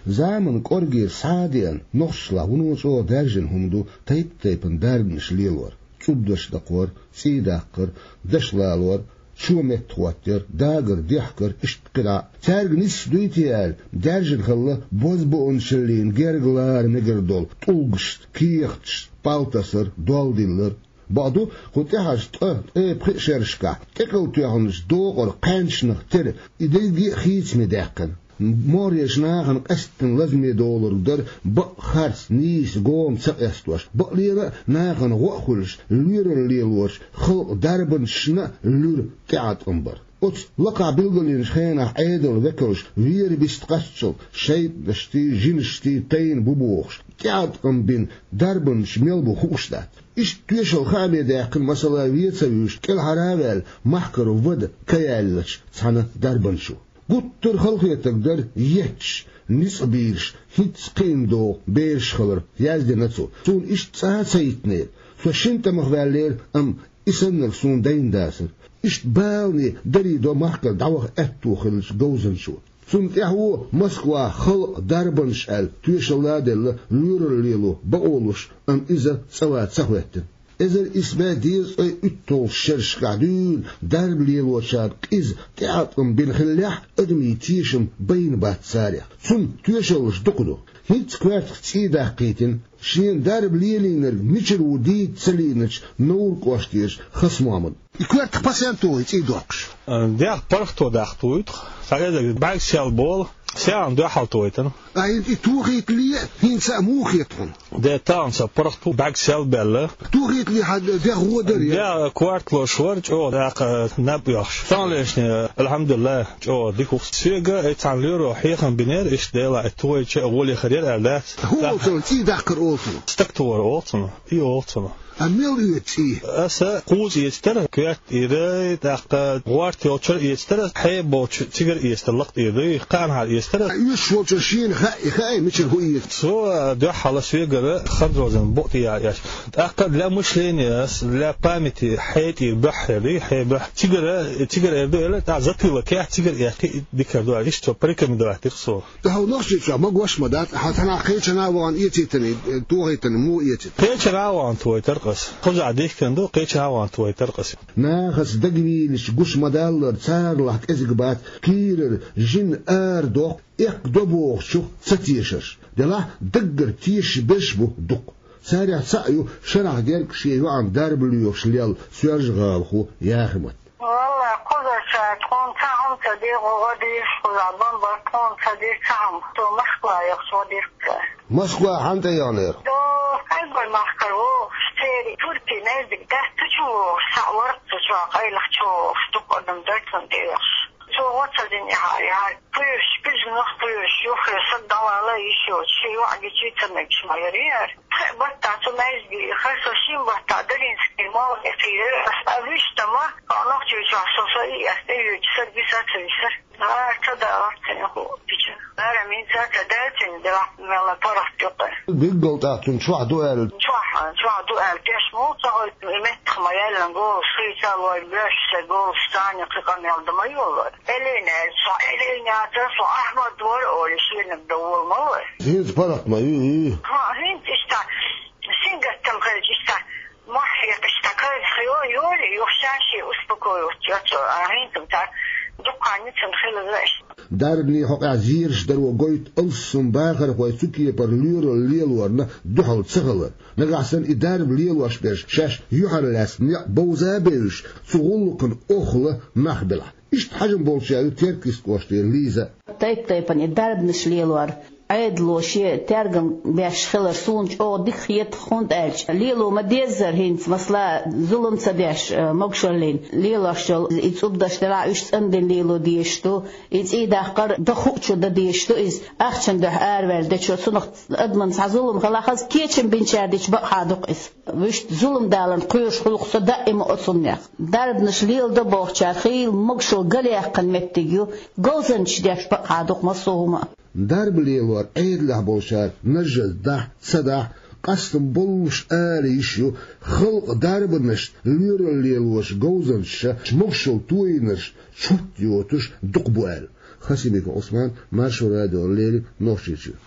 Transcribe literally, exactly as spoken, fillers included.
Заман кӀоргера схьа а деана, нохчашлахь вуно чӀогӀа даьржина хӀума ду тайп-тайпана дарбанаш лелор: цӀубдаш дакхор, цӀий даккхар, даш лалор, чо меттахӀоттаяр, дагар, дехкар, иштта кхидӀа а. Цаьрга нийса дуй те аьлла, даьржина хилла бозбуунчаллин герга лара мегар долу тӀулгашца, кехаташца, палтасар, долдиллар. Бакъду, кху тӀаьхьарчу ткъа, ткъе пхи шерашкахь тӀекхалла тоьхначу докъара кхаьнчанах тера, и дерриге а хийцаме даьккхина. МогӀарерчу нахана къаьсттина лазаме долург дара бакъ харц, нийса гома ца къестош, бакъ лела а нахана гӀо а хуьлуш, лоьралла лелочу халкъан дарбанашна а луьра тӀеӀаткъам бар. Оцу лакхахь билгалйинчу хенахь Ӏедалан векалш вера бист кхаччалц шайтӀанаштий, жинаштий тайна бу бохуш, тӀеӀаткъам бина дарбанаш мел бу хууш дац. Иштта тоьшалла хааме даьккхина, масала, вен ца вуьйш, кӀелхьара а ваьлла, махкара вада ка яьллачу цхьана дарбанчо. Гуттар а халахетарг дара етташ, ницкъ бийраш, хӀинцца кхиъна догӀу бераш хилар, яздина цо. Суна иштта цкъа а ца йитинера. Со шина тӀамах ваьллера, амма и саннарг суна дайна дацара. Иштта балане дарий до махкара дӀаваха аьтто хиллачу говзанчо. Цунна тӀаьхьо Москвахь халкъан дарбанаш аьлла тоьшалла а делла, лоьралла лело бакъо луш, амма иза цӀа ца хӀоьттина. Эзар исс бӀе дезткъе уьтталгӀачу шерашкахь дуьйна дарба лелочарна къиза тӀеӀаткъам бина хиллехь а, адамийн тешам байна бац царех. Цунна тоьшаллаш дукха ду. ХӀинцца коьртах цӀий даккхийтина шена дарба лелийнарг мичара ву дийца ца лиъначу Невран кӀоштерчу Хасмохьмада. И коьртах пасенто вай цӀий доккхуш? Дех паргӀато даккха тухуьйту. Цхьа эзар бӀаьрг сел болу, сел дуьхьал тухуьйту. А хӀинца и тухийтале а, хӀинца а муха хета хьуна? Де тахана сан паргӀато бӀаьрг сел баьлла. Тухийтале хьан дех гӀо дара? Де коьрта лош вара, чӀогӀа даккха наб оьхуш. Сан лешне, алхьамдулиллахӀ, чӀогӀа дика ву. Соьга и цхьана лоьро хьехам бинера, иштта Дела и тухийча а гӀоле хир яра аьлла дац. ХӀун олу цунах, цӀий даккхар олу цунах? Стаг тухар олу цунах. И олу цунах. А мел оьцу цӀий? Аса кхузза эцтара, коьрта тӀера, тӀаккха гӀорта йолчара эцтара, хьеба болчу цигара эцтара, лакха тӀера дуй, кхаанхьара эцтара. Оьшуш волчара шена хаьа, хаьа, мичара хӀун эцу? Цо дуьххьал соьгара ханзозан букъ тӀе яьлла эцна. ТӀаккха для мышления, для памяти хье тӀера буьххьера дуй, хье буьххьа. Цигара, цигара эр ду аьлла, тӀаккха затылок яхь, цигара эккхи, дика ду аьлла, иштта цо порекомендовать дира со. Хьо Нохчийчохь магош ма дац, хьан цхьанхьа кхечанхьа а вахана эцийтина, э, тухийтина, муха эцийта? Кхечанхьа а вахана тухийтара-кх ас. Кхузахь дихкина ду, кхечанхьа а вахана тухийтара-кх ас. Нахаца дагавийлича гуш ма-даллара, царалахь кӀезиг бац, кийрара жин арадоккху, эккха до бохучух ца тешарш. Делахь даггара тешаш берш бу дукха. Царех цхьаъ ю шарахь герга шен йоӀана дарба лоьхуш лелла соьлжа-гӀалахо Яхимат. Валлахь, кхузара тхуна цхьа хӀума ца дира, гӀо дийш, кхузахь бан бар тхуна ца дира цхьа хӀума. Цо Москва яхаш гӀо дира-кх цара. Москва хьанна тӀе яханера? До Стамбул махкара вогӀуш, церан туркий незиг дац цу чу вогӀуш, схьа вара-кх цу чохь, къайлаха чу вогӀуш, дукха адам дара цунна тӀеоьхуш. Цо гӀо ца дина яхьа, яхьа, кхоьруш, куьзганах кхоьруш, юххе саг дӀавала йиш йоцуш, шен йоӀ гича ца мегаш ма яра яра. Пхеа баттахь цу маьждиге хьажа, со шина баттахь Даринский молла тӀе кхийрара, ас а вуьшта ма, а Нохчийчохь со, со и ас тӀеоьцуш, саг виса а ца висара. Ара ца далара цуьнан хӀуъа гича. Ара мин ца ца даьлла цуьнан, делахь мелла паргӀат ю-кх. Билггал тӀаккха цунна чохь ду аьлла? Чохь, чохь ду аьлла, теш муха ца гӀойту, и меттах ма яьллина, голаш хийца а лой, боьрша шайн голаш цхьаьна кхин къамел дан ма йоллара. Элина аьлла, со Элина яцара, со Ахьмад вара олий, шенаг дан вола ма вара. ХӀинца паргӀат ма ю и? ХӀа, хӀинца иштта, сингаттам хилча иштта, мохь хьекхаш, иштта кайф хило, йолий, юха ша-шен успокоить йо цо, а хӀинца цара дуккха ницкъ хилла иштта. Дарбане хьокъехь зераш даро гойту алссам бахархой цу кепара лоьралла лелорна дуьхьал ца хилар. Нагахь санна и дарба лелош берш шаьш юьхьарлаьцна некъ бовза а бевзаш, цу гӀуллакхана охӀла нах белахь. Иштта хьажам болчарех ю Теркйист кӀоштара Лиза. Тайп-тайпана и дарбанаш лелор Ӏедало шен тергам беш хилар суна чӀогӀа дика хета, хӀунда аьлча лело ма-деззара хӀинца, масала, зулам ца деш, э, могушаллина лелош йолу и цӀубдаш делахь уьш цӀандина лело дезаш ду, и цӀий даккхар дан хуучо дан дезаш ду иза, ахчана дуьхьа араваьлла дечо, цунах адамна цхьа зулам хилахь, хаза кечам бинчара дича бакъахьа ду-кх иза. Вуьшта зулам даларна кхоьруш хуьлу-кх со даима оцуннех. Дарбанаш леладо бохучара хийла могушалла галъяьккхина меттиг ю, говзанчаш деш бакъахьа ду-кх массо а хӀума а. Дарба лелор Ӏедалехь болчара нажжаза дахь а, ца дахь а, къастам боллуш ала йиш ю, халкъан дарбанашна лоьралла лелочу говзанчаша могушалла тойинарш чот йоцуш дукха бу аьлла. Касимиков Ӏусман, Маршо радио, леррина Нохчийчуьра.